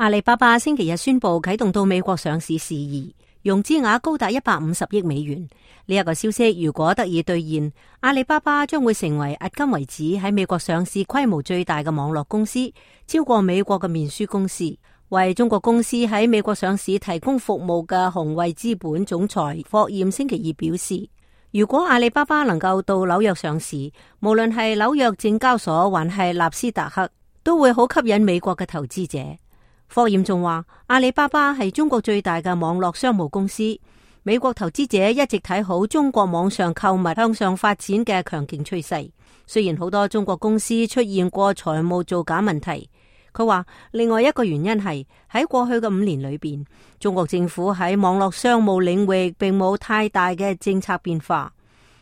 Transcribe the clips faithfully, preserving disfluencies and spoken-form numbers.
阿里巴巴星期日宣布啟動到美國上市事宜，融資額高達一百五十億美元。呢、這、一個消息如果得以兌現，阿里巴巴將會成為迄今為止喺美國上市規模最大嘅網絡公司，超過美國嘅面書公司。為中國公司喺美國上市提供服務嘅宏衛資本總裁霍艷星期二表示，如果阿里巴巴能夠到紐約上市，無論係紐約證交所還係納斯達克，都會好吸引美國嘅投資者。霍艷仲話，阿里巴巴係中國最大嘅網絡商務公司，美國投資者一直睇好中國網上購物向上發展嘅強勁趨勢。雖然好多中國公司出現過財務造假問題，佢話另外一個原因係喺過去嘅五年裏邊，中國政府喺網絡商務領域並冇太大嘅政策變化，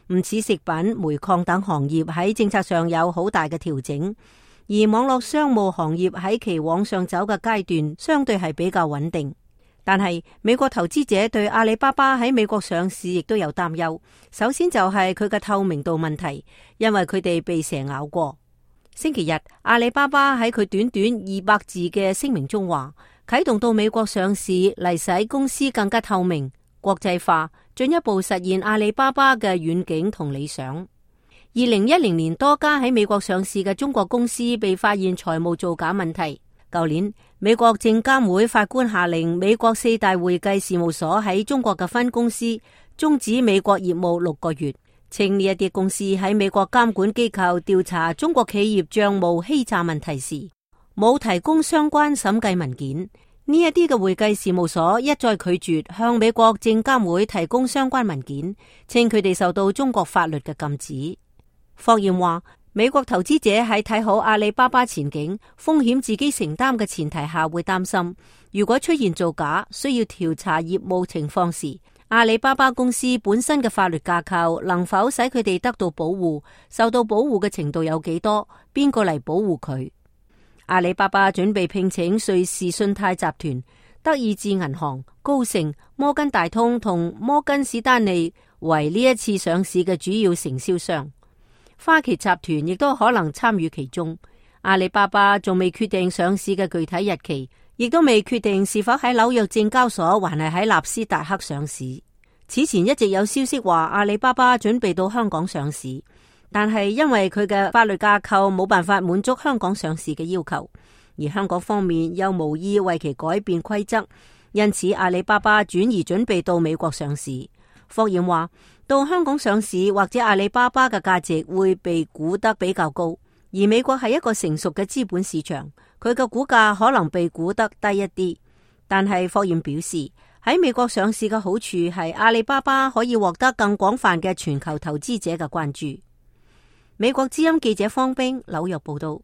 唔似食品、煤礦等行業喺政策上有好大嘅調整。而網絡商務行業喺其往上走嘅階段相對係比較穩定，但係美國投資者對阿里巴巴喺美國上市亦都有擔憂。首先就係佢嘅透明度問題，因為佢哋被蛇咬過。星期日，阿里巴巴喺佢短短二百字嘅聲明中話，啟動到美國上市嚟使公司更加透明、國際化，進一步實現阿里巴巴嘅遠景同理想。二零一零年，多家喺美國上市嘅中國公司被發現財務造假問題。舊年，美國證監會法官下令美國四大會計事務所喺中國嘅分公司終止美國業務六個月，稱呢一啲公司喺美國監管機構調查中國企業賬務欺詐問題時，冇提供相關審計文件。呢一啲嘅會計事務所一再拒絕向美國證監會提供相關文件，稱佢哋受到中國法律嘅禁止。霍艷話，美國投資者喺睇好阿里巴巴前景、風險自己承擔嘅前提下，會擔心如果出現造假，需要調查業務情況時，阿里巴巴公司本身嘅法律架構能否使佢哋得到保護，受到保護嘅程度有幾多，邊個嚟保護佢？阿里巴巴準備聘請瑞士信貸集團、德意志銀行、高盛、摩根大通同摩根士丹利為呢一次上市嘅主要承銷商。花旗集團亦都可能參與其中。阿里巴巴仲未決定上市嘅具體日期，亦都未決定是否喺紐約證交所還係喺納斯達克上市。此前一直有消息話阿里巴巴準備到香港上市，但係因為佢嘅法律架構冇辦法滿足香港上市嘅要求，而香港方面又無意為其改變規則，因此阿里巴巴轉移準備到美國上市。霍艷話，到香港上市或者阿里巴巴嘅價值會被估得比較高，而美國係一個成熟嘅資本市場，佢嘅股價可能被估得低一啲。但係霍艷表示，喺美國上市嘅好處係阿里巴巴可以獲得更廣泛嘅全球投資者嘅關注。美國之音記者方冰紐約報道。